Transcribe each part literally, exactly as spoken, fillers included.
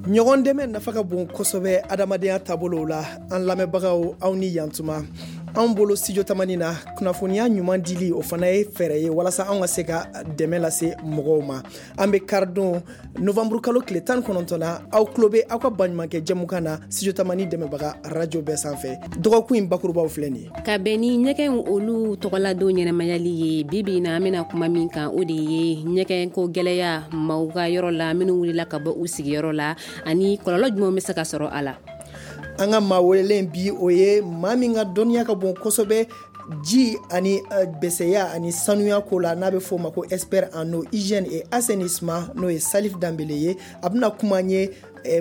Ɲɔgɔn dɛmɛ nafa ka bon kosɛbɛ adamadenya taabolow la. An lamɛnbagaw, aw ni yantuma. Anw bolo Studio Tamani na, kunnafoniya ɲuman dili, o fana ye fɛɛrɛ ye walasa anw ka se ka dɛmɛ lase mɔgɔw ma. An bɛ karidon novembre kalo tile tan kɔnɔntɔn na, aw tulo bɛ aw ka baɲumankɛ jɛmukan na Studio Tamani dɛmɛbaga radio bɛɛ sanfɛ. Dɔgɔkun in bakurubaw filɛ nin ye. Ka bɛn ni ɲɛgɛn olu tɔgɔladon ɲɛnamayali ye, bi bi na an bɛna kuma min kan, o de ye ɲɛgɛn ko gɛlɛya maaw ka yɔrɔ la minnu wulila ka bɔ u sigiyɔrɔ la, ani kɔlɔlɔ jumɛn bɛ se ka sɔrɔ a la. An ka maa welelen bi, o ye maa min ka dɔnniya ka bon kosɛbɛ ji ani bɛsɛya ani sanuya ko la, n'a bɛ fɔ o ma ko expert en eau, hygiène et assainissement, n'o ye Salif Danbele ye. A bɛna kuma an ye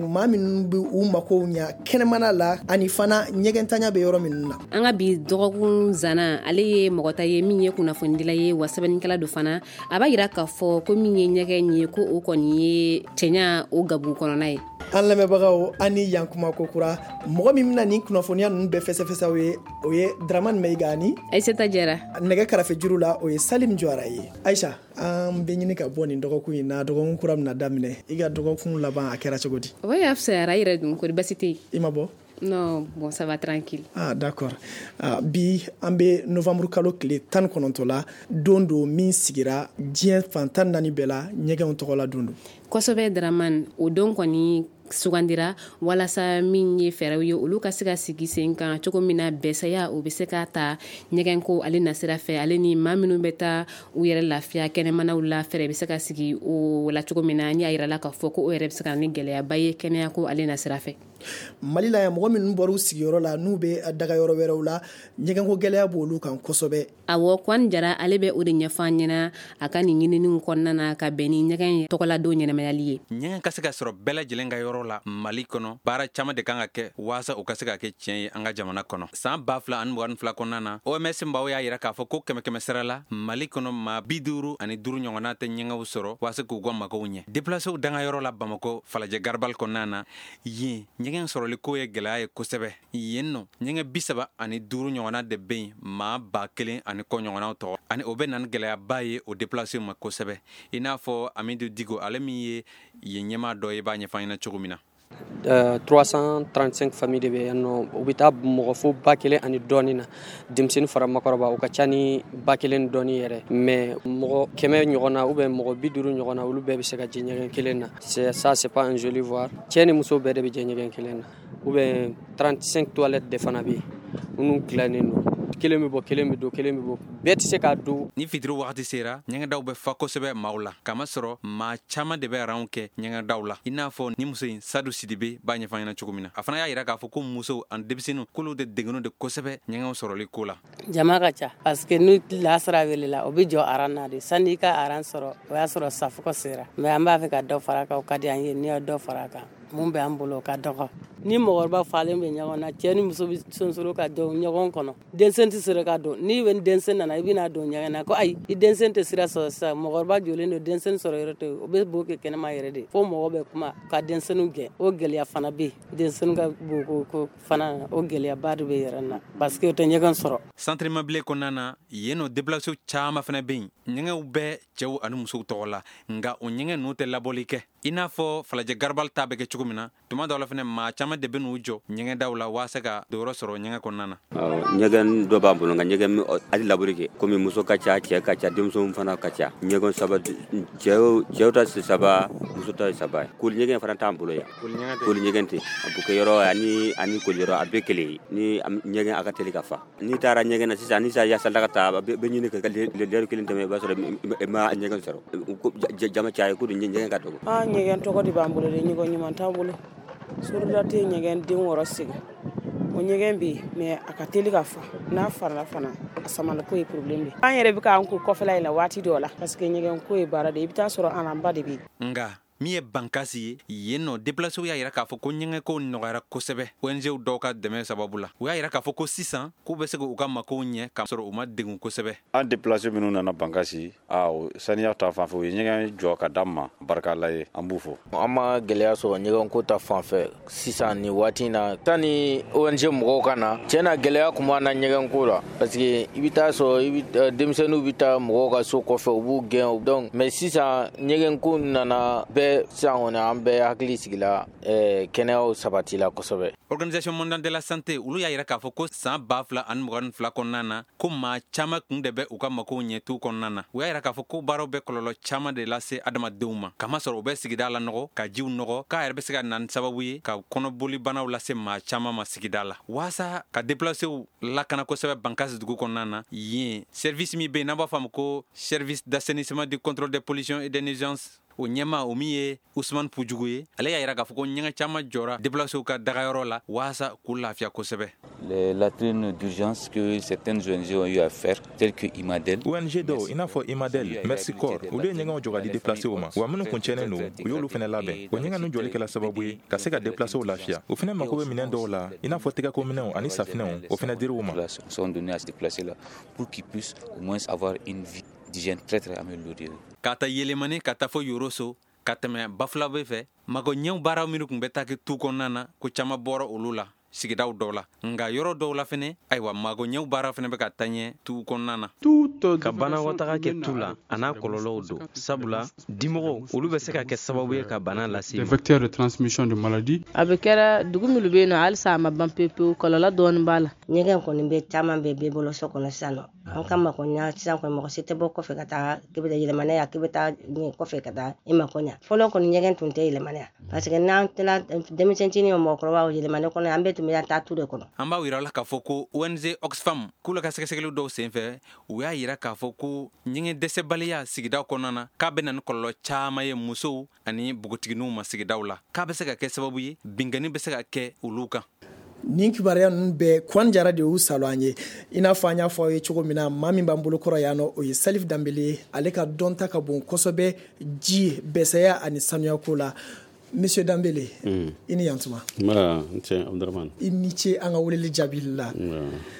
maa minnu bɛ u makow ɲa kɛnɛmana la, ani fana ɲɛgɛntanya bɛ yɔrɔ minnu na. An ka bi dɔgɔkun zana, ale ye mɔgɔ ta ye min ye kunnafonidila ye, wa sɛbɛnnikɛla don fana. A b'a yira k'a fɔ ko min ye ɲɛgɛn ye, ko o kɔni ye cɛɲa o gabu kɔnɔna ye. An lamɛnbagaw, an ni yankuma kokura. Mɔgɔ min bɛna nin kunnafoniya ninnu bɛɛ fɛsɛfɛsɛw ye, o ye Dramane Mayiga ni Aïssata Jara. Nɛgɛ karafe juru la, o ye Salim Jɔra ye. Aïcha, an bɛ ɲini ka bɔ nin dɔgɔkun in na, dɔgɔkun kura bɛna daminɛ. I ka dɔgɔkun laban, a kɛra cogo di? O y'a fisayara, i yɛrɛ dun, kori basi tɛ yen? I ma bɔ? Non, bon, ça va, tranquille. Ah, d'accord. Ah, bi an bɛ novembre kalo tile tan kɔnɔntɔn la, don don min sigira diɲɛ fan tan naani bɛɛ la, ɲɛgɛnw tɔgɔ la don don. Kosɛbɛ Dramane, o don kɔni sugandira walasa min ye fɛɛrɛw ye, olu ka se ka sigi sen kan cogo min na bɛsɛya o bɛ se ka ta ɲɛgɛnko ale nasira fɛ, ale ni maa minnu bɛ taa u yɛrɛ lafiya kɛnɛmanaw la, fɛɛrɛ bɛ se ka sigi o la cogo min na, ni a yirala k'a fɔ ko o yɛrɛ bɛ se ka na ni gɛlɛyaba ye kɛnɛyako ale nasira fɛ. Mali la yan, mɔgɔ minnu bɔra u sigiyɔrɔ la n'u bɛ daga yɔrɔ wɛrɛw la, ɲɛgɛnko gɛlɛya b'olu kan kosɛbɛ. Awɔ, Kwan Jara, ale bɛ o de ɲɛfɔ an ɲɛna a ka nin ɲininiw kɔnɔna na ka bɛn ni ɲɛgɛn tɔgɔladon ɲɛnamayali ye. Ɲɛgɛn ka se ka sɔrɔ bɛɛ lajɛlen ka yɔrɔ la Mali kɔnɔ, baara caman de kan ka kɛ waasa o ka se ka kɛ tiɲɛ ye an ka jamana kɔnɔ. San ba fila ani mugan ni fila kɔnɔna na, O M S maaw y'a yira k'a fɔ ko kɛmɛ kɛmɛ sara la, Mali kɔnɔ, maa bi duuru ani duuru ɲɔgɔnna tɛ ɲɛgɛnw sɔrɔ waasa k'u ka magow ɲɛ. Déplacéw danga yɔrɔ la Bamakɔ Falajɛ Garabali kɔnɔna na, yen ɲɛgɛn sɔrɔli ko ye gɛlɛya ye kosɛbɛ. Yen nɔ, ɲɛgɛn bi saba ani duuru ɲɔgɔnna de bɛ yen maa ba kelen ani kɔ ɲɔgɔnnaw tɔgɔ, ani o bɛ na ni gɛlɛyaba ye o déplacéw ma kosɛbɛ, i n'a fɔ Amidu Digo, ale min ye yen ɲɛmaa dɔ ye, b'a ɲɛfɔ an ɲɛna cogo min na. Euh, trois cent trente-cinq familles de bɛ yan nɔ. U bɛ taa mɔgɔ fo ba kelen ani dɔɔni na, denmisɛnnin fara makɔrɔba, u ka ca ni ba kelen dɔɔni yɛrɛ. Mais mɔgɔ kɛmɛ ɲɔgɔn na ou bien mɔgɔ bi duuru ɲɔgɔn na, olu bɛɛ bɛ se ka jɛ ɲɛgɛn kelen na. C'est ça, c'est pas un joli voir. Cɛ ni muso bɛɛ de bɛ jɛ ɲɛgɛn kelen na. Ou bien trente-cinq toilettes de fana bɛ yen minnu dilannen don, kelen bɛ bɔ, kelen bɛ don, kelen bɛ bɔ, bɛɛ tɛ se k'a don. Ni fitiri wagati sera, ɲɛgɛndaw bɛ fa kosɛbɛ maaw la, kamasɔrɔ maa caman de bɛ ranw kɛ ɲɛgɛndaw la, i n'a fɔ ni muso in, Sadu Sidibe, b'a ɲɛfɔ ɲɛna cogo min na. A fana y'a yira k'a fɔ ko musow ani denmisɛnninw, k'olu de degunnen de kosɛbɛ ɲɛgɛnw sɔrɔli ko la. Jama ka ca parce que ni lasara welela, o bɛ jɔ aran na de. Sanni i ka aran sɔrɔ, o y'a sɔrɔ safukɔ sera. Mais an b'a fɛ ka dɔ fara a kan, o ka di an ye. N'i ye dɔ fara a kan, mun bɛ an bolo, o ka dɔgɔ. Ni mɔgɔkɔrɔba falen bɛ ɲɔgɔn na, cɛ ni muso bɛ sonsoro ka don ɲɔgɔn kɔnɔ, denmisɛn tɛ sɔrɔ ka don. N'i bɛ denmisɛn nana, i bɛna don ɲɛgɛn na ko ayi, i denmisɛn tɛ sira sɔrɔ sisan. Mɔgɔkɔrɔba jɔlen don, denmisɛnnin sɔrɔ yɔrɔ tɛ, o bɛ bo kɛ kɛnɛma yɛrɛ de, fo mɔgɔ bɛ kuma ka denmisɛnninw gɛn. O gɛlɛya fana bɛ yen, denmisɛnnin ka bo ko fana, o gɛlɛyaba de bɛ yɛrɛ na parce que o tɛ ɲɛgɛn sɔrɔ. Centre Mabilé kɔnɔna na yen nɔ, déplacéw caman fana bɛ yen. Ɲɛgɛnw bɛ cɛw ani musow tɔgɔ la, nka o ɲɛgɛn ninnu tɛ labɔli kɛ i n'a fɔ Falajɛ Garabali ta bɛ kɛ cogo min na. Tuma dɔw la fana, maa caman de bɛ n'u jɔ ɲɛgɛndaw la waasa ka donyɔrɔ sɔrɔ ɲɛgɛn kɔnɔna na. Ɲɛgɛn dɔ b'an bolo, nka ɲɛgɛn hali labɔli kɛ, komi muso ka ca, cɛ ka ca, denmisɛnw fana ka ca. Ɲɛgɛn saba, cɛw cɛw ta saba, muso ta saba ye. Koli ɲɛgɛn fana t'an bolo yan, koli ɲɛgɛn tɛ. A bukɛyɔrɔ ani ani koliyɔrɔ, a bɛɛ kelen ye. Ni ɲɛgɛn a ka teli ka fa, n'i taara ɲɛgɛn na sisan, ni yasala ka taa, a bɛ ɲini ka lɛri kelen tɛmɛ, i b'a sɔrɔ i ma ɲɛgɛn sɔrɔ. Jama caya ko ɲɛgɛn ka dɔgɔ. An ɲɛgɛn tɔgɔ de b'an bolo dɛ, ɲɛgɛn ɲuman t'an bolo. Sorodula tɛ ɲɛgɛn den wɔɔrɔ sigi, o ɲɛgɛn bɛ yen, mais a ka teli ka fa. N'a farala fana, a samaliko ye problème de ye. An yɛrɛ bɛ k'an ko kɔfɛla in la waati dɔw la, parce que ɲɛgɛn ko ye baara de ye, i bɛ taa sɔrɔ aranba de bɛ yen. Nka min ye Bankasi ye, yen nɔ, déplacéw y'a yira k'a fɔ ko ɲɛgɛnko nɔgɔyara kosɛbɛ O N G dɔw ka dɛmɛ sababu la. U y'a yira k'a fɔ ko sisan k'u bɛ se k'u ka makow ɲɛ k'a sɔrɔ u ma degun kosɛbɛ. An déplacé minnu nana Bankasi, a saniya ta fan fɛ, u ye ɲɛgɛn jɔ ka d'an ma, barika Ala ye, an b'u fo. An ma gɛlɛya sɔrɔ ɲɛgɛnko ta fan fɛ sisan nin waati in na. Sani O N G mɔgɔw ka na, tiɲɛ na, gɛlɛya kun b'an na ɲɛgɛnko la, parce que i bɛ taa sɔrɔ i bɛ denmisɛnninw bɛ taa mɔgɔw ka so kɔfɛ, u b'u gɛn. Donc mais sisan ɲɛgɛnko nana bɛɛ. bɛɛ sisan kɔni an bɛɛ hakili sigila kɛnɛyaw sabatila kosɛbɛ. Organisation mondiale de la santé olu y'a yira k'a fɔ ko san ba fila ani mugan ni fila kɔnɔna na, ko maa caman kun de bɛ u ka makow ɲɛ tu kɔnɔna na. U y'a yira k'a fɔ ko baaraw bɛ kɔlɔlɔ caman de lase adamadenw ma, kamasɔrɔ u bɛ sigida la nɔgɔ, ka jiw nɔgɔ, k'a yɛrɛ bɛ se ka na ni sababu ye ka kɔnɔboli banaw lase maa caman ma sigida la. Waasa ka déplacew lakana kosɛbɛ Bankasi dugu kɔnɔna na, yen service min bɛ yen n'an b'a fɔ a ma ko service d'assainissement, du contrôle des pollutions et des nuisances, o ɲɛma o min ye Usman Pujugu ye, ale y'a yira k'a fɔ ko ɲɛgɛn caman jɔra déplacéw ka dagayɔrɔ la waasa k'u lafiya kosɛbɛ. Les latrines d'urgence que certaines O N G ont eu à faire, telles que Imadel. O N G dɔw i n'a fɔ Imadel, Mercy Corps, olu ye ɲɛgɛnw jɔ ka di déplacéw ma, wa minnu kun tiɲɛnen don, u y'olu fɛnɛ labɛn. O ɲɛgɛn ninnu jɔli kɛla sababu ye ka se ka déplacéw lafiya. U fɛnɛ mako bɛ minɛn dɔw la, i n'a fɔ tɛgɛko minɛnw ani safinɛw, o fɛnɛ dir'u ma. Sont donnés à ces déplacés là pour qu'ils puissent au moins avoir une vie d'hygiène très très améliorée. Ka ta Yelemani ka taa fɔ Yoroso, ka tɛmɛ Bafulabe fɛ, mago ɲɛw baaraw minnu tun bɛ taa kɛ tu kɔnɔna na, ko caman bɔra olu la sigidaw dɔw la. Nka yɔrɔ dɔw la fɛnɛ, ayiwa, mago ɲɛw baara fɛnɛ bɛ ka taa ɲɛ tu kɔnɔna na. Ka banakɔtaga kɛ tu la, a n'a kɔlɔlɔw don, sabula dimɔgɔw olu bɛ se ka kɛ sababu ye ka bana lase. Des vecteurs de transmission de maladies. A bɛ kɛra dugu minnu bɛ yen nɔ, halisa a ma ban pewu pewu, kɔlɔlɔ dɔɔni b'a la. Ɲɛgɛn kɔni bɛ caman bɛ bɛɛ bolo so kɔnɔ sisan nɔ. An ka mako ɲa sisan kɔni, mɔgɔ si tɛ bɔ kɔfɛ ka taa k'i bɛ taa yɛlɛmana yan, k'i bɛ taa kɔfɛ ka taa i mako ɲa. Fɔlɔ kɔni, ɲɛgɛn tun tɛ yɛlɛmana yan, parce que n'an tilala, denmisɛnnin o mɔgɔkɔrɔbaw, yɛlɛmana kɔnɔ, an bɛɛ tun bɛ taa tu de kɔnɔ. An b'a yira la k'a fɔ ko O N G Oxfam k'olu ka sɛgɛsɛgɛli dɔw senfɛ, u y'a yira k'a fɔ ko ɲɛgɛn dɛsɛbaliya sigidaw kɔnɔna na, k'a bɛ na ni kɔlɔlɔ caman ye musow ani npogotigininw ma sigidaw la, k'a bɛ se ka kɛ sababu ye binkanni bɛ se ka kɛ olu kan. Nin kibaruya ninnu bɛɛ, Kwan Jara de y'u salo an ye. I n'a fɔ an y'a fɔ aw ye cogo min na, maa min b'an bolo kɔrɔ yan nɔ, o ye Salif Danbele ye. Ale ka dɔnta ka bon kosɛbɛ ji bɛsɛya ani sanuyako la. Monsieur Danbele, mm. i ni yantuma. Nba, n cɛ Abdramane. I ni ce an ka weleli jaabili la.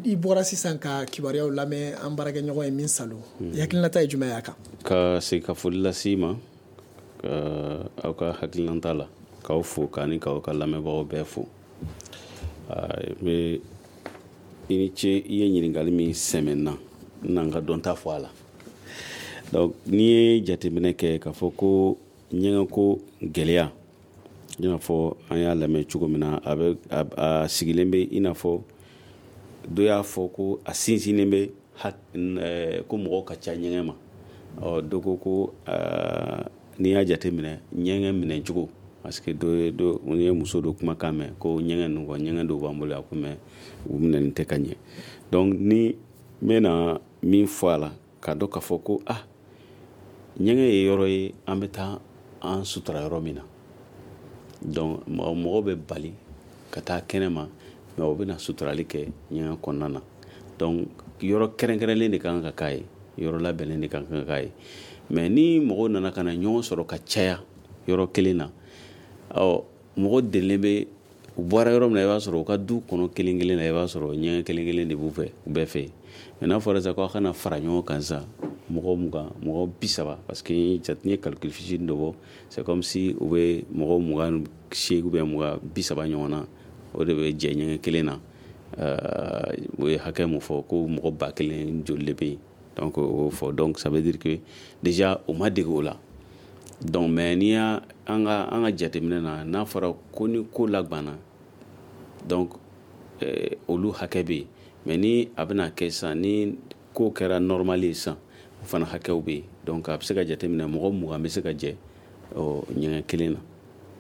I bɔra sisan ka kibaruyaw lamɛn, an baarakɛɲɔgɔn ye min salo. I hakilinata ye jumɛn y'a kan? Ka segin ka foli lase i ma ka aw ka hakilinata la, k'aw fo k'a ni k'aw ka lamɛnbagaw bɛɛ fo. N bɛ i ni ce i ye ɲininkali min sɛmɛ n na, n na n ka dɔnta fɔ a la. Donc n'i ye jateminɛ kɛ k'a fɔ ko ɲɛgɛnko gɛlɛya, i n'a fɔ an y'a lamɛn cogo min na, a bɛ a sigilen bɛ, i n'a fɔ dɔ y'a fɔ ko a sinsinnen bɛ ko mɔgɔw ka ca ɲɛgɛn ma. Ɔ dɔ ko ko n'i y'a jateminɛ ɲɛgɛn minɛcogo, parce que dɔ ye dɔ n ye muso dɔ kumakan mɛn ko ɲɛgɛn ninnu kɔ, ɲɛgɛn dɔw b'an bolo yan ko, mais u minɛni tɛ ka ɲɛ. Donc ni n bɛna min fɔ a la, k'a dɔn k'a fɔ ko ah ɲɛgɛn ye yɔrɔ ye an bɛ taa an sutura yɔrɔ min na. Donc mɔgɔw bɛ bali ka taa kɛnɛ ma, mais u bɛna suturali kɛ ɲɛgɛn kɔnɔna na. Donc yɔrɔ kɛrɛnkɛrɛnlen de kan ka k'a ye, yɔrɔ labɛnnen de kan ka k'a ye. Mais ni mɔgɔw nana ka na ɲɔgɔn sɔrɔ ka caya yɔrɔ kelen na, ɔ mɔgɔ delilen bɛ u bɔra yɔrɔ min na, i b'a sɔrɔ u ka du kɔnɔ kelen kelen na, i b'a sɔrɔ ɲɛgɛn kelen kelen de b'u fɛ, u bɛɛ fɛ yen. Mais n'a fɔra sisan ko aw kana fara ɲɔgɔn kan sisan, mɔgɔ mugan, mɔgɔ bi saba, parce que n ye calcul fitinin dɔ bɔ, c'est comme si u bɛ mɔgɔ mugan seegin ou bien mugan bi saba ɲɔgɔn na, o de bɛ jɛ ɲɛgɛn kelen na. O ye hakɛ mun fɔ ko mɔgɔ ba kelen joli de bɛ yen. Donc o y'o fɔ. Donc ça veut dire que déjà u ma dege o la. Donc mais n'i y'a an ka an ka jateminɛ na, n'a fɔra ko ni ko lagbanna, donc olu hakɛ bɛ yen. Mais ni a bɛna kɛ sisan, ni ko kɛra normal ye sisan, o fana hakɛw bɛ yen. Donc a bɛ se ka jateminɛ mɔgɔ mugan bɛ se ka jɛ ɲɛgɛn kelen na.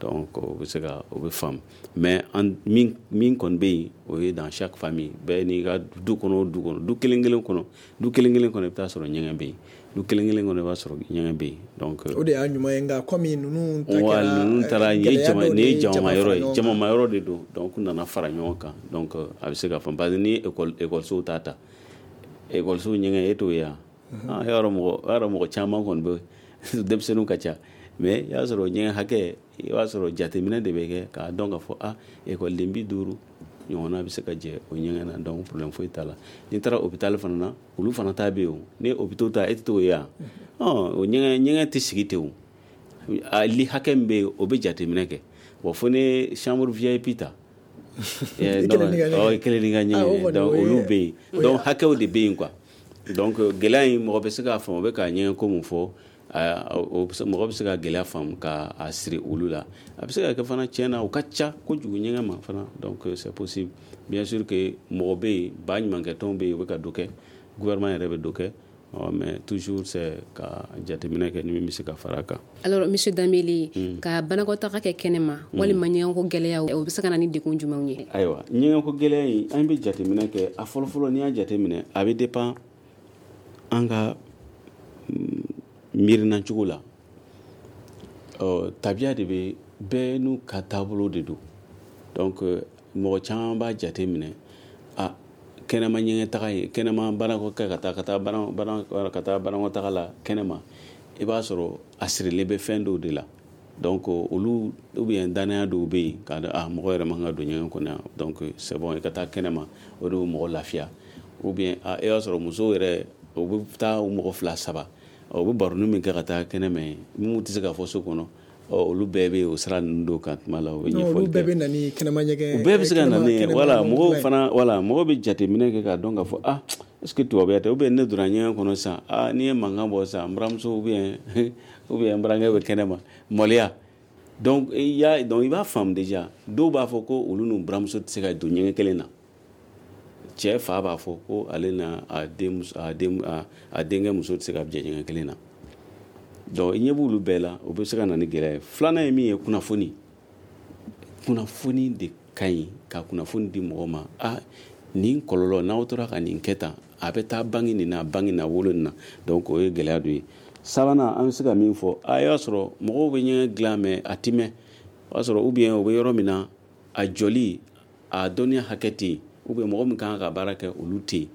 Donc o bɛ se ka o bɛ faamu. Mais an min min kɔni bɛ yen, o ye dans chaque famille, bɛɛ n'i ka du kɔnɔ o du kɔnɔ, du kelen kelen kɔnɔ, du kelen kelen kɔnɔ, i bɛ taa sɔrɔ ɲɛgɛn bɛ yen. Du kelen kelen kɔnɔ, i b'a sɔrɔ ɲɛgɛn bɛ yen. Donc o de y'a ɲuman ye. Nka komi ninnu ta wa kɛra ninnu taara nin ye jama nin ye jamama yɔrɔ ye, ɲɔgɔn kan. Jamama yɔrɔ de don. Donc u nana fara ɲɔgɔn kan. Donc a bɛ se ka faamu, parce que ni école école ta ta école ɲɛgɛn, e t'o ye wa? Ah, yɔrɔ mɔgɔ yɔrɔ mɔgɔ caman kɔni bɛ, denmisɛnninw ka ca, mais i y'a sɔrɔ ɲɛgɛn hakɛ, i b'a sɔrɔ jateminɛ de bɛ kɛ k'a dɔn k'a fɔ ah ekɔliden bi duuru ɲɔgɔnna bɛ se ka jɛ o ɲɛgɛn na. Donc problème foyi t'a la. N'i taara hôpital fana na, olu fana ta bɛ yen. O ni hôpitaux ta, e tɛ t'o ye wa? Ɔn o ɲɛgɛn ɲɛgɛn tɛ sigi ten. O a li hakɛ min bɛ yen, o bɛ jateminɛ kɛ. Bon, fo ni chambre V I P ta, I kelen n'i ka ɲɛgɛn. ɔ i kelen n'i ka Ah, o ɲɛgɛn. kɔni, Donc o ye- olu bɛ yen. o ye- Donc hakɛw de bɛ yen quoi. Donc gɛlɛya in, mɔgɔ bɛ se k'a faamu, o bɛ k'a ɲɛgɛn ko mun fɔ. Mɔgɔ bɛ se ka gɛlɛya faamu ka a siri olu la. A bɛ se ka kɛ fana tiɲɛ na u ka ca kojugu ɲɛgɛn ma fana, donc c'est possible. Bien sûr que mɔgɔ bɛ yen, ba ɲumankɛtɔnw bɛ yen, u bɛ ka dɔ kɛ, gouvernement yɛrɛ bɛ dɔ kɛ, mais toujours c'est ka jateminɛ kɛ ni min bɛ se ka fara a kan. Alors monsieur Dembélé, mm. ka banakɔtaga kɛ kɛnɛma mm. walima ɲɛgɛnko gɛlɛya, o bɛ se ka na ni degun jumɛnw ye? Ayiwa, ɲɛgɛnko gɛlɛya in, an bɛ jateminɛ kɛ a fɔlɔfɔlɔ, n'i y'a jateminɛ a bɛ dépend an ka miirina cogo la. Ɔ tabiya de bɛ bɛɛ n'u ka taabolo de don. Donc mɔgɔ caman b'a jateminɛ a kɛnɛma ɲɛgɛn taga ye, kɛnɛma banakɔ kɛ ka taa ka taa bana ka taa banakɔtaga la kɛnɛma, i b'a sɔrɔ a sirilen bɛ fɛn dɔw de la. Donc olu ou bien danaya dɔw bɛ yen k'a dɔn a mɔgɔ yɛrɛ man ka don ɲɛgɛn kɔnɔ yan, donc c'est bon i ka taa kɛnɛma, o de bɛ mɔgɔ lafiya. Ou bien a i b'a sɔrɔ musow yɛrɛ u bɛ taa u mɔgɔ fila saba, u bɛ baroni min kɛ ka taa kɛnɛma, minnu tɛ se ka fɔ so kɔnɔ, olu bɛɛ bɛ o sira ninnu dɔw kan tuma la, u bɛ ɲɛfɔli kɛ. Olu bɛɛ bɛ na ni kɛnɛma ɲɛgɛn. U bɛɛ bɛ se ka na ni, voilà, mɔgɔw fana, voilà, mɔgɔw bɛ jateminɛ kɛ k'a dɔn k'a fɔ ah est-ce que tubabuya tɛ, ou bien ne donna ɲɛgɛn kɔnɔ sisan, ah n'i ye mankan bɔ sisan, n buramuso ou bien ou bien n burankɛ bɛ kɛnɛma, maloya. Donc i y'a donc i b'a faamu déjà, dɔw b'a fɔ ko olu n'u buramuso tɛ se ka don ɲɛgɛn kelen na. Cɛ fa b'a fɔ ko ale n'a a den a den a denkɛ muso tɛ se ka jɛ ɲɛgɛn kelen na. Donc i ɲɛ b'olu bɛɛ la, o bɛ se ka na ni gɛlɛya ye. Filanan ye min ye, kunnafoni. Kunnafoni de ka ɲi, ka kunnafoni di mɔgɔ ma. Ah nin kɔlɔlɔ, n'aw tora ka nin kɛ tan, a bɛ taa bange nin na, bange na, wolo nin na. Donc o ye gɛlɛya dɔ ye. Sabanan, an bɛ se ka min fɔ, a y'a sɔrɔ mɔgɔw bɛ ɲɛgɛn dilan mais a ti mɛn. O y'a sɔrɔ ou bien o bɛ yɔrɔ min na, a jɔli, a dɔnniya hakɛ tɛ yen, ou bien mɔgɔ min kan ka baara kɛ olu tɛ yen.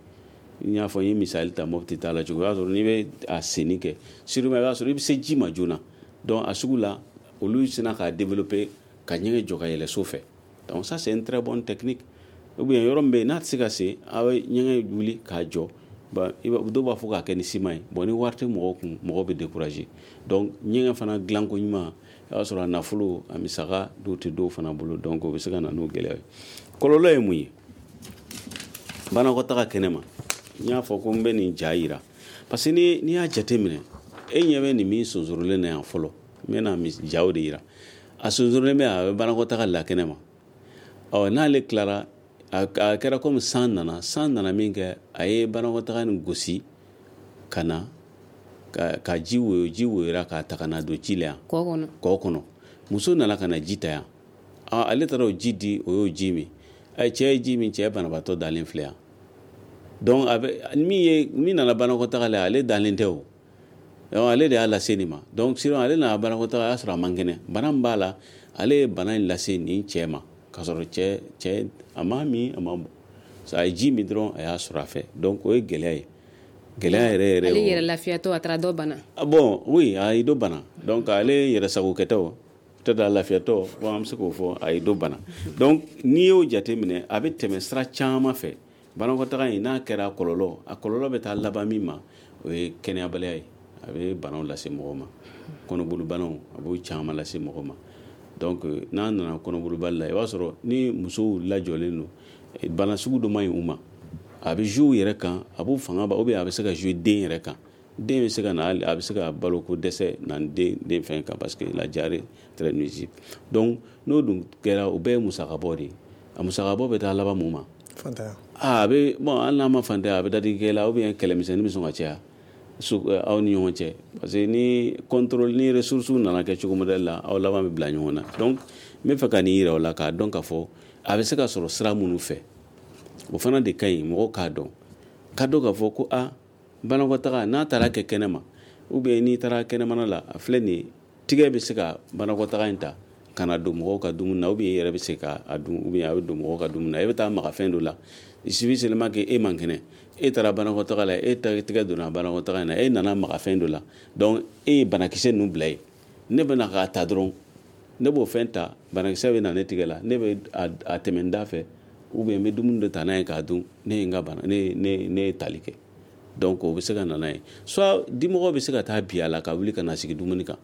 N y'a fɔ, n ye misali ta Mopti ta la cogo, o y'a sɔrɔ n'i bɛ a senni kɛ sûrement i b'a sɔrɔ i bɛ se ji ma joona. Donc a sugu la, olu sina k'a développer ka ɲɛgɛn jɔ ka yɛlɛ so fɛ. Donc ça c'est une très bonne technique. Ou bien yɔrɔ min bɛ yen n'a tɛ se ka se, a bɛ ɲɛgɛn wuli k'a jɔ. Bon, dɔw b'a fɔ k'a kɛ ni siman ye. Bon, ni wari tɛ mɔgɔw kun, mɔgɔw bɛ décourager. Donc ɲɛgɛn fana dilanko ɲuman, i b'a sɔrɔ a nafolo, a misaka dɔw tɛ dɔw fana bolo. Donc o bɛ se ka na n'o gɛlɛya ye. Kɔlɔlɔ ye mun ye? Banakɔtaga kɛnɛma, n y'a fɔ ko n bɛ nin ja yira parce que ni n'i y'a jateminɛ, e ɲɛ bɛ nin min sonsorolen na yan fɔlɔ, n bɛna jaw de yira. A sonsorolen bɛ, a bɛ banakɔtaga la kɛnɛma. Ɔ n'ale tilara, a kɛra komi san nana, san nana min kɛ, a ye banakɔtaga nin gosi ka na ka, ka ji woyo, ji woyora k'a ta ka na don ji la yan kɔ kɔnɔ, kɔ kɔnɔ. Muso nana ka na ji ta yan, ale taara o ji di, o y'o ji min. Cɛ ye ji min, cɛ banabaatɔ dalen filɛ yan. Donc a bɛ min ye, min nana banakɔtaga la, ale dalen tɛ o. Donc ale de y'a lase nin ma. Donc sinon ale nana banakɔtaga, a y'a sɔrɔ a man kɛnɛ, bana min b'a la, ale ye bana in lase nin cɛ ma, k'a sɔrɔ cɛ cɛ a ma min, a ma bɔ, a ye ji min dɔrɔn, a y'a sɔrɔ a fɛ. Donc o ye gɛlɛya ye, gɛlɛya yɛrɛ yɛrɛ. Ale yɛrɛ lafiyatɔ, a taara dɔ bana. Bon oui, a ye dɔ bana. Donc ale yɛrɛ sagokɛtɔ, peut-être a lafiyatɔ, bon an bɛ se k'o fɔ, a ye dɔ bana. Donc n'i y'o jateminɛ, a bɛ tɛmɛ sira caman fɛ. Banakɔtaga in n'a kɛra kɔlɔlɔ, a kɔlɔlɔ bɛ taa laban min ma, o ye kɛnɛyabaliya ye. A bɛ banaw lase mɔgɔ ma, kɔnɔbolibanaw, a b'o caman lase mɔgɔ ma. Donc n'a nana kɔnɔbolibali la, i b'a sɔrɔ ni musow lajɔlen don, bana sugu dɔ man ɲi u ma, a bɛ jouer u yɛrɛ kan, a b'u fanga ban, ou bien a bɛ se ka jouer den yɛrɛ kan. Den bɛ se ka na, a bɛ se ka baloko dɛsɛ na den den fɛn kan, parce que la diarrhée très nuisible. Donc n'o dun kɛra, o bɛɛ ye musakabɔ de ye. A musakabɔ bɛ taa laban mun ma? Fantanya. Ah, a bɛ bon, hali n'a ma fantanya, a bɛ dadigikɛ la, ou bien kɛlɛmisɛnnin bɛ sɔn ka caya so aw ni ɲɔgɔn cɛ, parce que ni contrôle ni ressources nana kɛ cogo modèle la, aw laban bɛ bila ɲɔgɔn na. Donc n bɛ fɛ ka nin yira o la, k'a dɔn k'a fɔ a bɛ se ka sɔrɔ sira minnu fɛ, o fana de ka ɲi mɔgɔw k'a dɔn, k'a dɔn k'a fɔ ko a banakɔtaga n'a taara kɛ kɛnɛma, ou bien n'i taara kɛnɛmana la, a filɛ nin ye, tigɛ bɛ se ka banakɔtaga in ta ka na don mɔgɔw ka dumuni na, ou bien i yɛrɛ bɛ se ka a dun, ou bien a bɛ don mɔgɔw ka dumuni na, e bɛ taa maga fɛn dɔ la. Il suffit seulement que e man kɛnɛ, e taara banakɔtaga la, e tigɛ donna banakɔtaga in na, e nana maga fɛn dɔ la, donc e ye banakisɛ ninnu bila yen. Ne bɛna k'a ta dɔrɔn, ne b'o fɛn ta, banakisɛ bɛ na ne tigɛ la, ne bɛ a tɛmɛ n da fɛ, ou bien n bɛ dumuni dɔ ta n'a ye k'a dun, ne ye n ka bana, ne ne ne ye tali kɛ. Donc o bɛ se ka na n'a ye. Soit dimɔgɔ bɛ se ka taa bi a la ka wuli ka na sigi dumuni kan,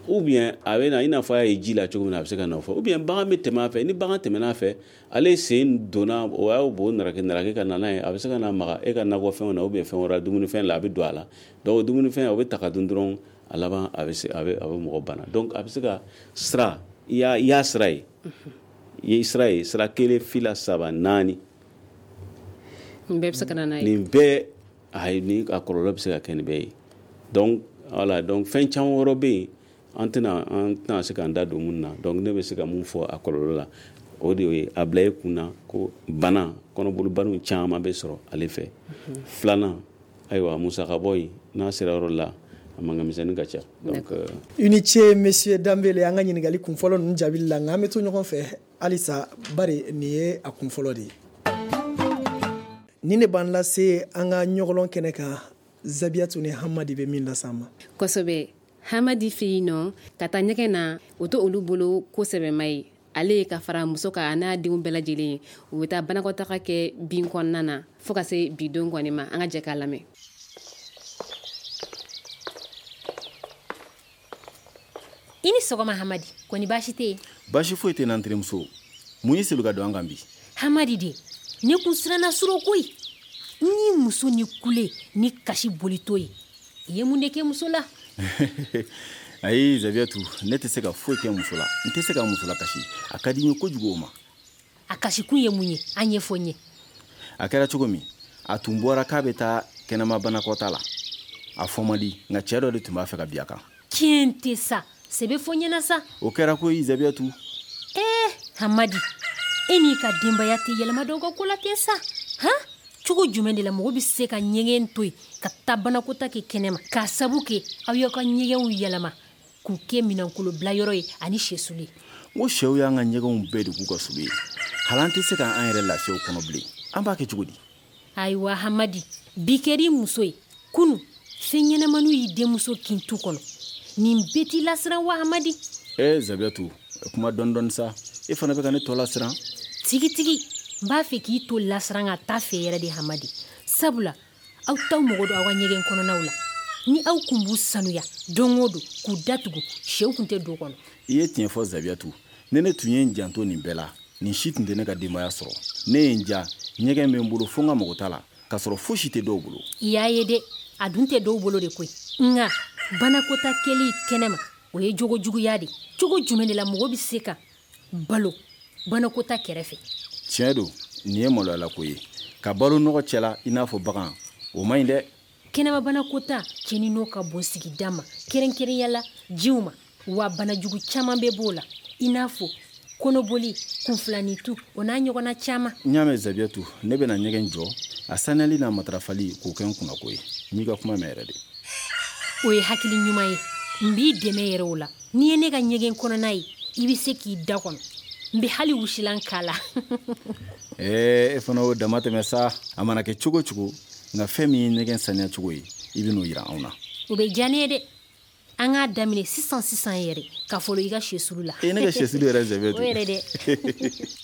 ou bien a bɛ na i n'a fɔ a ye ji la cogo min na, a bɛ se ka na o fɔ, ou bien bagan bɛ tɛmɛ a fɛ, ni bagan tɛmɛna a fɛ, ale sen donna, o y'o bo naraki naraki ka na n'a ye, a bɛ se ka na maga e ka nakɔfɛnw na, ou bien fɛn wɛrɛ, dumunifɛn la, a bɛ don a la. Donc o dumunifɛn o bɛ ta ka dun dɔrɔn, A laban a bɛ se a bɛ a bɛ mɔgɔ bana. Donc a bɛ se ka sira, i y'a i y'a sira ye, i ye sira ye, sira kelen, fila, saba, naani. Nin bɛɛ bɛ se ka na n'a ye. Nin bɛɛ ayi, ni a kɔlɔlɔ bɛ se ka kɛ nin bɛɛ ye. Donc voilà, donc fɛn caman wɛrɛ bɛ yen, an tɛna an tɛna se k'an da don mun na. Donc ne bɛ se ka mun fɔ a kɔlɔlɔ la, o de ye a bila i kun na ko bana, kɔnɔbolibanaw caman bɛ sɔrɔ ale fɛ. Filanan, ayiwa, musakabɔ in n'a sera yɔrɔ la, a mankan ka ca. Donc i ni ce, monsieur Danbele, an ka ɲininkali kun fɔlɔ ninnu jaabili la. Nka an bɛ to ɲɔgɔn fɛ halisa, bari nin ye a kun fɔlɔ de ye. Nin de b'an lase an ka ɲɔgɔlɔn kɛnɛ kan, Zabiyatu ni Hamadi bɛ min lase an ma. Kosɛbɛ, Hamadi fɛ yen nɔ, ka taa ɲɛgɛn na, o tɛ olu bolo ko sɛbɛma ye. Ale ye ka fara muso kan, a n'a denw bɛɛ lajɛlen, u bɛ taa banakɔtaga kɛ bin kɔnɔna na fo ka se bi don kɔni ma. An ka jɛ k'a lamɛn. I ni sɔgɔma Hamadi, kɔni baasi tɛ yen? Baasi foyi tɛ n terimuso. Mun y'i seli ka don an kan bi? Hamadi de, ne kun siranna surɔ koyi. Ni muso ni kule ni kasi bolitɔ ye, i ye mun de kɛ muso la? Ayi Zabiyatu, ne tɛ se ka foyi kɛ muso la. N tɛ se ka muso la kasi. A ka di n ye kojugu o ma. A kasikun ye mun ye? A ɲɛfɔ n ye. A kɛra cogo min, a tun bɔra k'a bɛ taa kɛnɛma banakɔta la. A fɔ man di, nka cɛ dɔ de tun b'a fɛ ka bin a kan. Tiɲɛ tɛ sa, sɛbɛ fɔ n ɲɛna sa. O kɛra koyi Zabiyatu. Ee Hamadi, e n'i ka denbaya tɛ yɛlɛma dɔw ka ko la ten sa, han? Cogo jumɛn de la mɔgɔ bɛ se ka ɲɛgɛn to yen ka taa banakɔta kɛ kɛnɛma, k'a sabu kɛ aw y'aw ka ɲɛgɛnw yɛlɛma k'u kɛ minɛnkolo bilayɔrɔ ye ani sɛsulu ye? N ko sɛw y'an ka ɲɛgɛnw bɛɛ de k'u ka sulu ye. Hali an tɛ se k'an yɛrɛ lafiya o kɔnɔ bilen. An b'a kɛ cogo di? Ayiwa Hamadi, bi kɛr'i muso ye, kunu fɛn ɲɛnamaniw y'i denmuso kin tu kɔnɔ. Nin bɛɛ t'i lasiran wa Hamadi? Ee Zabiyatu, kuma dɔɔni dɔɔni sa, e fana bɛ ka ne tɔ lasiran. Tigitigi, n b'a fɛ k'i to lasiran ka taa fɛ yɛrɛ de Hamadi. Sabula aw t'aw mago don aw ka ɲɛgɛn kɔnɔnaw la. Ni aw kun b'u sanuya don o don k'u datugu, sɛw kun tɛ don kɔnɔ. I ye tiɲɛ fɔ Zabiyatu. Ne ne tun ye n janto nin bɛɛ la, nin si tun tɛ ne ka denbaya sɔrɔ. Ne ye n ja, ɲɛgɛn bɛ n bolo fo n ka mago t'a la, k'a sɔrɔ fosi tɛ dɔw bolo. I y'a ye dɛ, a dun tɛ dɔw bolo de koyi. Nka banakɔta kɛli kɛnɛma, o ye jogo juguya de. Cogo jumɛn de la mɔgɔ bɛ se ka balo banakɔta kɛrɛfɛ? Tiɲɛ don, nin ye maloyalako ye. Ka balo nɔgɔ cɛ la i n'a fɔ bagan, o man ɲi dɛ. Kɛnɛma banakɔta cɛnni n'o ka bon sigida ma, kɛrɛnkɛrɛnya la jiw ma, wa banajugu caman bɛ b'o la, i n'a fɔ kɔnɔboli, kunfilanitu, o n'a ɲɔgɔnna caman. N y'a mɛn Zabiyatu, ne bɛna ɲɛgɛn jɔ, a saniyali n'a matarafali k'o kɛ n kunnako ye. N y'i ka kuma mɛn yɛrɛ de. O ye hakili ɲuman ye. N b'i dɛmɛ yɛrɛ o la. N'i ye ne ka ɲɛgɛn kɔnɔna ye, i bɛ se k'i da kɔnɔ. N bɛ hali wusilan k'a la. Ee e fana y'o dama tɛmɛ sa. A mana kɛ cogo cogo, nka fɛn min ye ɲɛgɛn saniya cogo ye, i bɛ n'o yira anw na. O bɛ diya ne ye dɛ. An k'a daminɛ sisan sisan yɛrɛ, ka fɔlɔ i ka sɛsulu la. E ne ka sɛsulu yɛrɛ Zabiyatu. O yɛrɛ dɛ.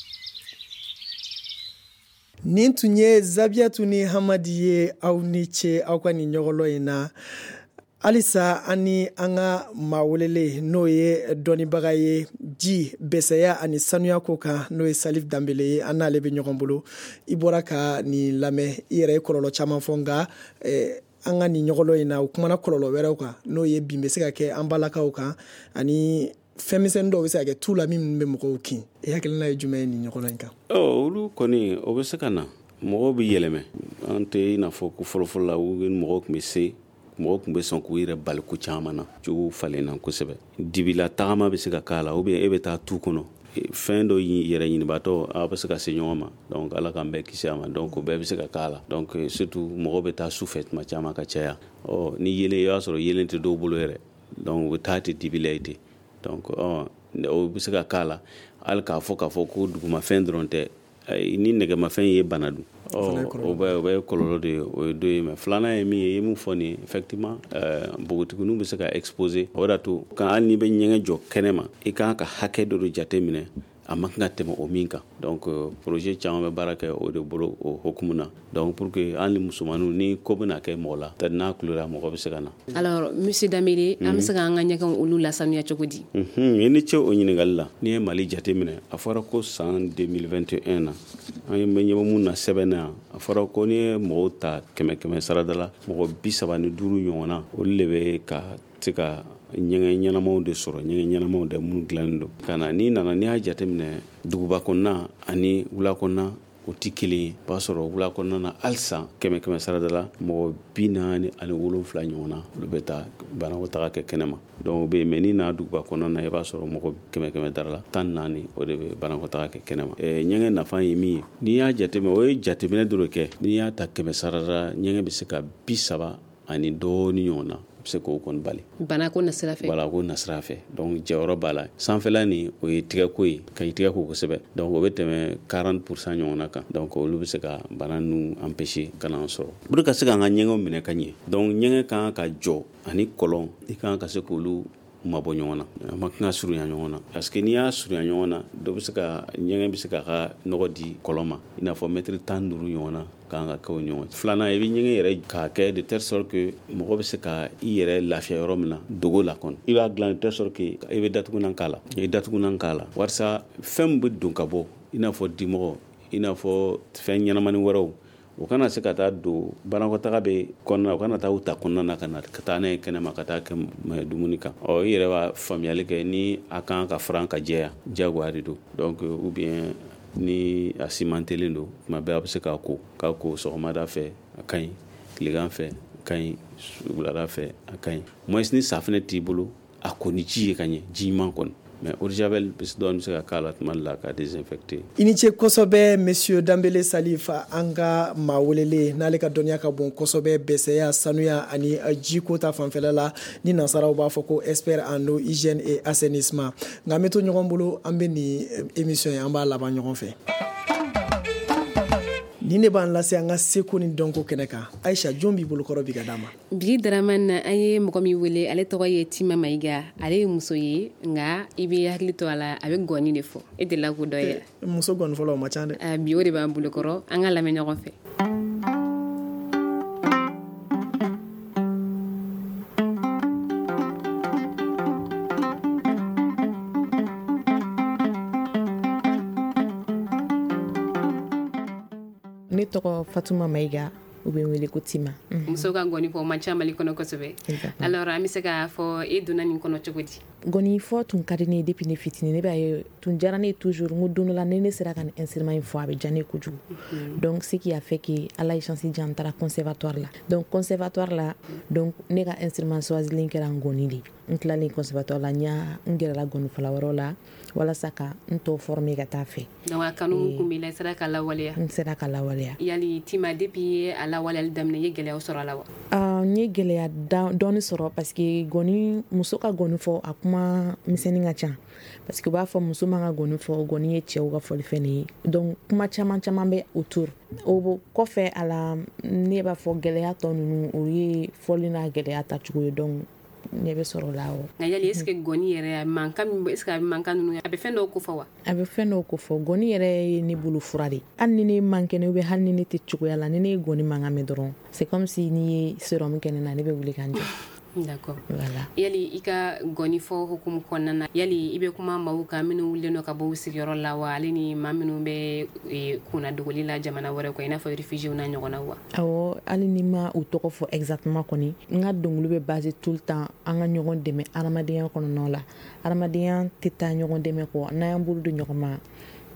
Nin tun ye Zabiyatu ni Hamadi ye. Aw ni ce aw ka nin ɲɔgɔlɔn in na. Halisa an ni an ka maa welele, n'o ye dɔnnibaga ye ji bɛsɛya ani sanuya ko kan, n'o ye Salif Danbele ye, an n'ale bɛ ɲɔgɔn bolo. I bɔra ka nin lamɛn, i yɛrɛ ye kɔlɔlɔ caman fɔ, nka an ka nin ɲɔgɔlɔn in na, u kumana kɔlɔlɔ wɛrɛw kan, n'o ye bin bɛ se ka kɛ an balakaw kan, ani fɛn misɛnnin dɔw bɛ se ka kɛ tu la min bɛ mɔgɔw kin. I hakilina ye jumɛn ye nin ɲɔgɔlɔn in kan? Ɔ olu kɔni, o bɛ se ka na. Mɔgɔw bɛ yɛlɛmɛ. An tɛ i n'a fɔ ko fɔlɔfɔlɔ la, mɔgɔw tun bɛ se, mɔgɔw tun bɛ sɔn k'u yɛrɛ bali ko caman na. Cogo falenna kosɛbɛ. Dibila tagama bɛ se ka k'a la, ou bien e bɛ taa tu kɔnɔ, fɛn dɔ yɛrɛ ɲinibaatɔ, aw bɛ se ka se ɲɔgɔn ma. Donc ala k'an bɛɛ kisi a ma. Donc o bɛɛ bɛ se ka k'a la. Donc surtout mɔgɔw bɛ taa su fɛ tuma caman ka caya. Ɔ ni yelen, i b'a sɔrɔ yelen tɛ dɔw bolo yɛrɛ. Donc u bɛ taa ten dibi la yen ten. Donc ɔ o bɛ se ka k'a la. Hali k'a fɔ k'a fɔ ko dugumafɛn dɔrɔn tɛ, ni nɛgɛmafɛn ye bana dun, o bɛ o bɛ kɔlɔlɔ de ye, o ye dɔ ye. Mais filanan ye min ye, i ye min fɔ nin ye, effectivement npogotigininw bɛ se ka exposer. O de y'a to kan hali n'i bɛ ɲɛgɛn jɔ kɛnɛ ma, i kan ka hakɛ dɔ de jate minɛ, a man kan ka tɛmɛ o min kan. Donc projet caman bɛ baara kɛ o de bolo o hokumu na. Donc pour que hali ni musomaninw, ni ko bɛna kɛ mɔgɔ la, peut-être n'a kulera, mɔgɔ bɛ se ka na. Alors monsieur Danbele, an bɛ se k'an ka ɲɛgɛnw olu lasanuya cogo di? I ni ce o ɲininkali la. N'i ye Mali jate minɛ, a fɔra ko san deux mille vingt et un na, an ye ɲɛ bɛ mun na sɛbɛn na yan, A fɔra ko n'i ye mɔgɔw ta kɛmɛ kɛmɛ sarada la, mɔgɔ bi saba ni duuru ɲɔgɔn na, olu de bɛ ka se ka ɲɛgɛn ɲɛnamaw de sɔrɔ, ɲɛgɛn ɲɛnamaw de minnu dilannen don. Ka na n'i nana, n'i y'a jateminɛ duguba kɔnɔna ani wula kɔnɔna, o tɛ kelen ye. O b'a sɔrɔ wula kɔnɔna na halisa kɛmɛ kɛmɛ sarada la, mɔgɔ bi naani ani wolonfila ɲɔgɔn na, olu bɛ taa banakɔtaga kɛ kɛnɛma. Donc o bɛ yen. Mais n'i nana duguba kɔnɔna na, i b'a sɔrɔ mɔgɔ kɛmɛ kɛmɛ dara la tan naani, o de bɛ banakɔtaga kɛ kɛnɛma. Ɲɛgɛn nafa ye min ye, n'i y'a jateminɛ, o ye jateminɛ dɔ de kɛ. N'i y'a ta kɛmɛ sarada, ɲɛgɛn bɛ se ka bi saba ani dɔɔni ɲɔgɔn na se k'o kɔni bali. Banako nasira fɛ. Banako nasira fɛ. Donc jɔyɔrɔ b'a la. Sanfɛla nin, o ye tigɛko ye, ka i tigɛ ko kosɛbɛ. Donc o bɛ tɛmɛ quarante pour cent ɲɔgɔnna kan. Donc olu bɛ se ka bana ninnu empêcher ka n'an sɔrɔ. Pour ka se k'an ka ɲɛgɛnw minɛ ka ɲɛ. Donc ɲɛgɛn kan ka jɔ ani kɔlɔn, i kan ka se k'olu mabɔ ɲɔgɔn na. A ma kan ka surunya ɲɔgɔn na. Parce que n'i y'a surunya ɲɔgɔn na, dɔ bɛ se ka ɲɛgɛn bɛ se k'a ka nɔgɔ di kɔlɔn ma. I n'a fɔ mɛtiri tan duuru ɲɔgɔn na kan ka kɛ o ɲɔgɔn. Filanan, i bɛ ɲɛgɛn yɛrɛ k'a kɛ de telle sorte que mɔgɔ bɛ se ka i yɛrɛ lafiya yɔrɔ min na dogo la kɔni. I b'a dilan de telle sorte que i bɛ datugunan k'a la. I bɛ datugunan k'a la walasa fɛn min bɛ don ka bɔ, i n'a fɔ dimɔgɔ, i n'a fɔ fɛn ɲɛnamani wɛrɛw, o kana se ka taa don banakɔtaga bɛ kɔnɔna, o kana taa u ta kɔnɔna na ka na ka taa n'a ye kɛnɛma ka taa kɛ dumuni kan. Ɔ i yɛrɛ b'a faamuyali kɛ ni a kan ka furan ka jɛya, diyagoya de don. Donc ou bien ni a simantelen don, tuma bɛɛ a bɛ se k'a ko k'a ko sɔgɔmada fɛ a ka ɲi, tilegan fɛ a ka ɲi, wulada fɛ a ka ɲi. Moins ni safunɛ t'i bolo, a ko ni ji ye ka ɲɛ, ji ɲuman kɔni. Mais eau de javel dɔɔni bɛ se ka k'a la tuma dɔ la ka désinfecter. I ni ce kosɛbɛ, monsieur Danbele Salif, an ka maa welelen n'ale ka dɔnniya ka bon kosɛbɛ bɛsɛya, sanuya ani jiko ta fanfɛla la, ni nansaraw b'a fɔ ko expert en eau, hygiène et assainissement. Nka an bɛ to ɲɔgɔn bolo, an bɛ nin émission ye, an b'a laban ɲɔgɔn fɛ. Nin de b'an lase an ka seko ni dɔnko kɛnɛ kan. Aisha, jɔn b'i bolokɔrɔ bi ka d'a ma? Bi Dramane na, an ye mɔgɔ min wele, ale tɔgɔ ye Tima Mayiga. Ale ye muso ye, nka i bɛ hakili to a la, a bɛ gɔni de fɔ. E delila k'o dɔ ye? Muso gɔni fɔlɔ o ma ca dɛ. Bi o de b'an bolokɔrɔ, an ka lamɛn ɲɔgɔn fɛ. Ne tɔgɔ Fatuma Mayiga, u bɛ n wele ko Tima. Muso ka gɔni fɔ o man ca Mali kɔnɔ kosɛbɛ. Alors an bɛ se k'a fɔ e donna nin kɔnɔ cogo di? Gɔni fɔ tun ka di ne ye depuis ne fitinin. Ne b'a ye tun diyara ne ye toujours, n ko don dɔ la ni ne sera ka nin instrument in fɔ a bɛ diya ne ye kojugu. Donc ce qui a fait que Ala ye chance di yan, n taara conservatoire la. Donc conservatoire la, donc ne ka instrument choisilen kɛra ngɔni de ye. N tilalen conservatoire la, n y'a n gɛrɛla gɔnifɔla wɛrɛw la walasa ka n tɔ former ka taa fɛ. Donc a kanu kun b'i la, i sera ka lawaleya? N sera ka lawaleya. Yali Tima, depuis a lawaleyali daminɛ, i ye gɛlɛyaw sɔrɔ a la wa? N ye gɛlɛya dɔɔni sɔrɔ parce que gɔni, muso ka gɔni fɔ a kuma misɛnnin ka ca. Parce que u b'a fɔ muso man ka gɔni fɔ, gɔni ye cɛw ka fɔlifɛn de ye. Donc kuma caman caman bɛ autour. O kɔfɛ a la, ne b'a fɔ gɛlɛya tɔ ninnu, o ye fɔli n'a gɛlɛya tacogo ye. Donc ne bɛ sɔrɔ la o. Nka yali est ce que gɔni yɛrɛ mankan min, est ce que a bɛ mankan ninnu, a bɛ fɛn dɔw kofɔ wa? A bɛ fɛn dɔw kofɔ. Gɔni yɛrɛ ye ne bolo fura de. Hali ni ne man kɛnɛ ou bien hali ni ne tɛ cogoya la, ni ne ye gɔni mankan mɛn dɔrɔn, c'est comme si n'i ye sérum kɛ ne na, ne bɛ wuli ka n jɔ. D'accord. Voilà. Yali i ka gɔni fɔ hukumu kɔnɔna na, yali i bɛ kuma maaw kan minnu wulilen don ka bɔ u sigiyɔrɔ la wa, ale ni maa minnu bɛ kunna dogoli la jamana wɛrɛ kɔ, i n'a fɔ réfugiés n'a ɲɔgɔnnaw wa? Awɔ, hali ni ma u tɔgɔ fɔ exactement kɔni, n ka dɔnkili bɛ basé tout le temps an ka ɲɔgɔn dɛmɛ adamadenya kɔnɔna la. Adamadenya tɛ taa ɲɔgɔn dɛmɛ kɔ, n'an y'an bolo don ɲɔgɔn ma,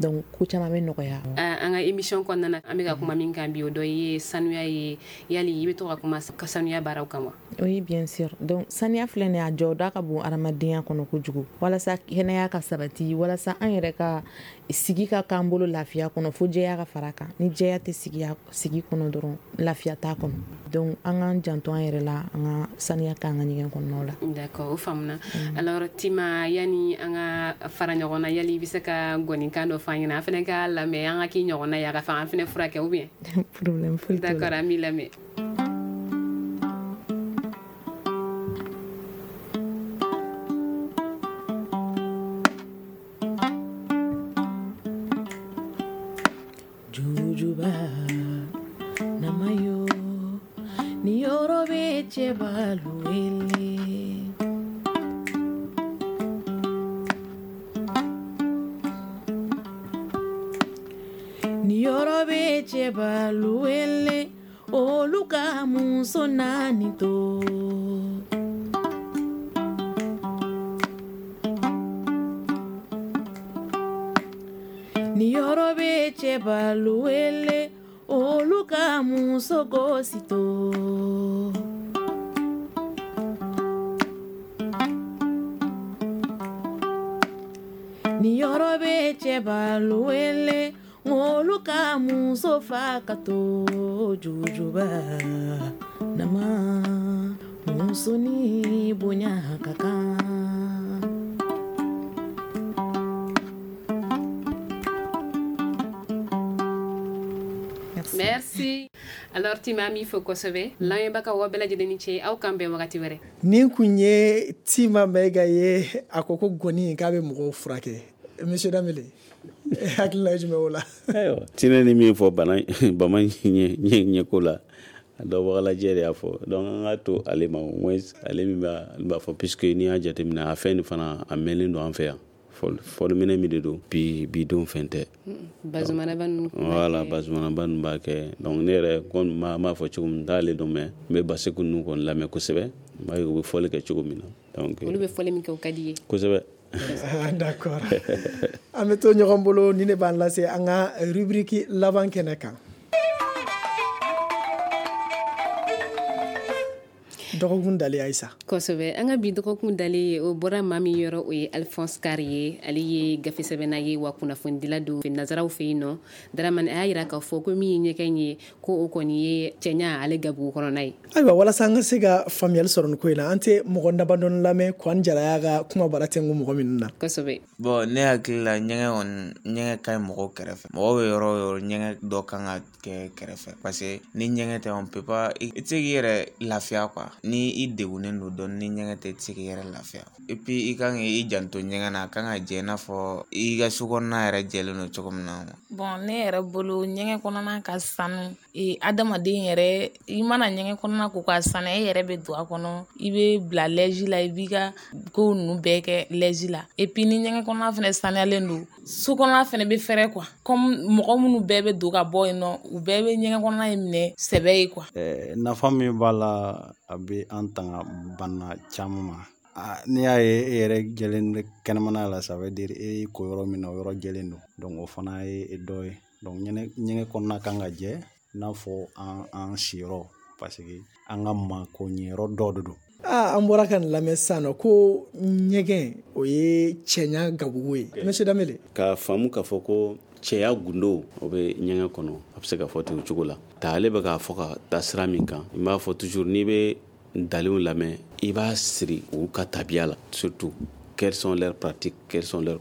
donc ko caman bɛ nɔgɔya. An ka émission kɔnɔna na, an bɛ ka kuma min kan bi, o dɔ ye sanuya ye. Yali i bɛ to ka kuma sanuya baaraw kan wa? Oui, bien sûr. Donc saniya filɛ nin ye, a jɔda ka bon adamadenya kɔnɔ kojugu. Walasa kɛnɛya ka sabati, walasa an yɛrɛ ka sigi ka k'an bolo lafiya kɔnɔ, fo jɛya ka fara kan. Ni jɛya tɛ sigi sigi kɔnɔ dɔrɔn, lafiya t'a kɔnɔ. Donc an k'an janto an yɛrɛ la, an ka saniya k'an ka ɲɛgɛn kɔnɔnaw la. D'accord, o faamuna. Alors Tima, yani an ka fara ɲɔgɔn na, yali i bɛ se ka gɔnikan dɔ fɔ an ɲɛna, an fana ka lamɛn, an ka k'i ɲɔgɔnna ye, a ka fɔ an fana furakɛ ou bien? Problème foyi t'o la. D'accord, an b'i lamɛn. Jujuba namayo ni yɔrɔ bɛ cɛbalu wele. Ni yɔrɔ bɛ cɛba cɛbalu wele olu ka muso naani to. Ni yɔrɔ bɛ cɛbalu wele olu ka muso gosi to. Ni yɔrɔ bɛ cɛbalu wele olu ka muso fa ka to jujuba nama muso ni bonya ka kan. Merci. Alors Tima mi fo kosɛbɛ lamɛnbagaw aw bɛɛ lajɛlen ni ce aw k'an bɛn wagati wɛrɛ. Nin kun ye Tima Mayiga ye a ko ko gɔni k'a bɛ mɔgɔw furakɛ. Monsieur Dambele, hakilina ye jumɛn o la? Ayiwa Tina ni min fɔ bana bama ɲɛ ɲɛko la a dɔnbagalajɛ de y'a fɔ donc an k'a to ale ma au moins ale min b'a b'a fɔ puisque n'i y'a jateminɛ a fɛn nin fana a mɛnlen don an fɛ yan. Fɔliminɛ min de don bi bi don fɛn tɛ. Bazumanaba ninnu. Voilà bazumanaba ninnu b'a kɛ donc ne yɛrɛ kɔni m'a m'a fɔ cogo min n t'ale dɔn mais n bɛ Baseku ninnu kɔni lamɛn kosɛbɛ n b'a ye u bɛ fɔli kɛ cogo min na donc olu bɛ fɔli min kɛ o ka di i ye. Kosɛbɛ. D'accord. An bɛ to ɲɔgɔn bolo ni ne b'an lase an ka rubrique laban kɛnɛ kan. Dɔgɔkun dalen Ayisa. Kosɛbɛ an ka bi dɔgɔkun dalen o bɔra maa min yɔrɔ o ye Alphonse Karr ye ale ye gafe sɛbɛnna ye wa kunnafonidila don nazaraw fɛ yen nɔ Dramane a y'a yira k'a fɔ ko min ye ɲɛgɛn ye ko o kɔni ye cɛɲa ale gabugu kɔnɔna ye. Ayiwa walasa an ka se ka faamuyali sɔrɔ nin ko in na an tɛ mɔgɔ damadɔni lamɛn Kwan Jara y'a ka kuma bara tɛnku mɔgɔ minnu na. Kosɛbɛ. Bon ne hakili la ɲɛgɛn kɔni ɲɛgɛn ka ɲi mɔgɔw kɛrɛfɛ mɔgɔw bɛ yɔrɔ o yɔrɔ ɲɛgɛn dɔ kan ka kɛ kɛrɛfɛ parce que ni ɲɛgɛn tɛ on peut pas i tɛ se k'i yɛrɛ lafiya quoi. Ni i degunnen don dɔɔni ni ɲɛgɛn tɛ i tɛ se k'i yɛrɛ lafiya et puis i kan k'i janto ɲɛgɛn na a kan ka jɛ i n'a fɔ i ka so kɔnɔna yɛrɛ jɛlen don cogo min na. Bon ne yɛrɛ bolo ɲɛgɛn kɔnɔna ka sanu ee adamaden yɛrɛ i mana ɲɛgɛn kɔnɔna ko ka sanu e yɛrɛ bɛ don a kɔnɔ i bɛ bila lɛji la i b'i ka ko ninnu bɛɛ kɛ lɛji la et puis ni ɲɛgɛn kɔnɔna fana sanuyalen don so kɔnɔna fana bɛ fɛrɛ quoi comme mɔgɔ minnu bɛɛ bɛ don ka bɔ yen nɔ u bɛɛ bɛ ɲɛgɛn kɔnɔna in minɛ sɛbɛ ye quoi. Ɛɛ nafa min b'a la a bɛ an tanga bana caman ma. N'i y'a ye e yɛrɛ jɛlen bɛ kɛnɛmana la ça veut dire e ko yɔrɔ min na o yɔrɔ jɛlen don donc o fana ye dɔ ye donc ɲɛgɛn kɔnɔna kan ka jɛ i n'a fɔ an an siyɔrɔ parce que an ka mako ɲɛyɔrɔ dɔ de don. Aa an bɔra ka nin lamɛn sisan nɔ ko ɲɛgɛn o ye cɛɲa gabugu ye. Monsieur Dambele. K'a faamu k'a fɔ ko cɛya gundo o bɛ ɲɛgɛn kɔnɔ a bɛ se ka fɔ ten o cogo la ta ale bɛ k'a fɔ ka taa sira min kan n b'a fɔ toujours n'i bɛ dalenw lamɛn i b'a siri u ka tabiya la surtout quelles sont leurs pratiques, quelles sont leurs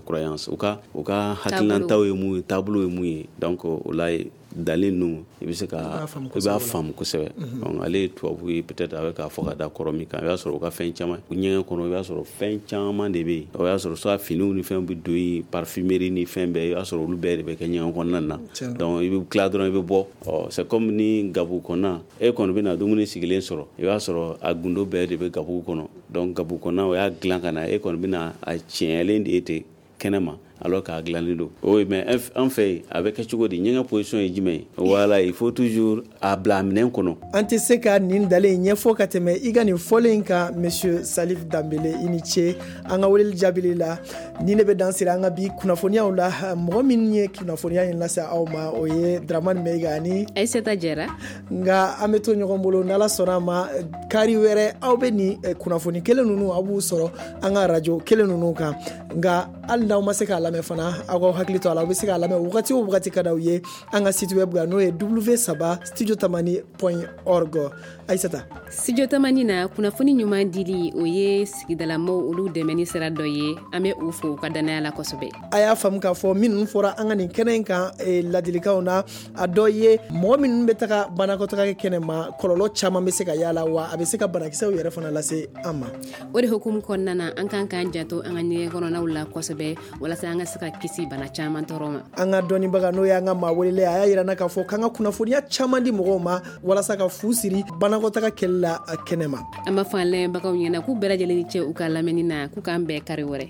croyances u ka u ka hakilinataw ye mun ye taabolo ye mun ye donc o la dalen ninnu i bɛ se ka i b'a faamu kosɛbɛ. Donc ale ye tubabu ye peut-être a bɛ k'a fɔ ka da kɔrɔ min kan i b'a sɔrɔ u ka fɛn caman ɲɛgɛn kɔnɔ i b'a sɔrɔ fɛn caman de bɛ yen o y'a sɔrɔ soit finiw ni fɛnw bɛ don yen parfumerie ni fɛn bɛɛ i b'a sɔrɔ olu bɛɛ de bɛ kɛ ɲɛgɛn kɔnɔna na donc i bɛ tila dɔrɔn i bɛ bɔ ɔ c'est comme ni gabugu kɔnɔna e kɔni bɛ na dumuni sigilen sɔrɔ i b'a sɔrɔ a gundo bɛɛ de bɛ gabugu kɔnɔ donc gabugu kɔnɔna o y'a dilan ka na e kɔni bɛ na a tiɲɛlen de ye ten kɛnɛma alors k'a dilannen don. Oui, mais an fɛ yen a bɛ kɛ cogo di ɲɛgɛn position ye jumɛn ye? Voilà, il faut toujours a bila a minɛn kɔnɔ. An tɛ se ka nin dalen ɲɛfɔ ka tɛmɛ i ka nin fɔlen in kan monsieur Salif Dambele i ni ce an ka weleli jaabili la ni ne bɛ dan siri an ka bi kunnafoniyaw la mɔgɔ min ye kunnafoniya in lase aw ma o ye Dramane Maiga ani Aïssata Jara nka an bɛ to ɲɔgɔn bolo n'Ala sɔnna a ma kari wɛrɛ aw bɛ nin kunnafoni kelen ninnu aw b'u sɔrɔ an ka radio kelen ninnu kan nka hali n'aw ma se k'a lamɛn fana aw k'aw hakili to a la aw bɛ se k'a lamɛn wagati o wagati ka d'aw ye an ka site web kan n'o ye w saba studio tamani point org. Aïssata Studio Tamani na kunnafoni ɲuman dili o ye sigidalamɔgɔw olu dɛmɛni sira dɔ ye an bɛ u fo u ka danaya la kosɛbɛ. A y'a faamu k'a fɔ minnu fɔra an ka nin kɛnɛ in kan ladilikanw na a dɔ ye mɔgɔ minnu bɛ taga banakɔtaga kɛ kɛnɛ ma kɔlɔlɔ caman bɛ se ka y'a la wa a bɛ se ka banakisɛw yɛrɛ fana lase an ma. O de hukumu kɔnɔna na an kan k'an janto an ka ɲɛgɛn kɔnɔnaw la kosɛbɛ walasa an ka se ka kisi bana caman tɔɔrɔ ma. An ka dɔnnibaga n'o y'an ka maa welelen a y'a yira n na k'a fɔ k'an ka kunnafoniya caman di mɔgɔw ma walasa ka fu siri banakɔtaga kɛli la kɛnɛ ma. An b'a fɔ an lamɛnbagaw ɲɛna k'u bɛɛ lajɛlen ni ce u ka lamɛnni na k'u k'an bɛn kari wɛrɛ.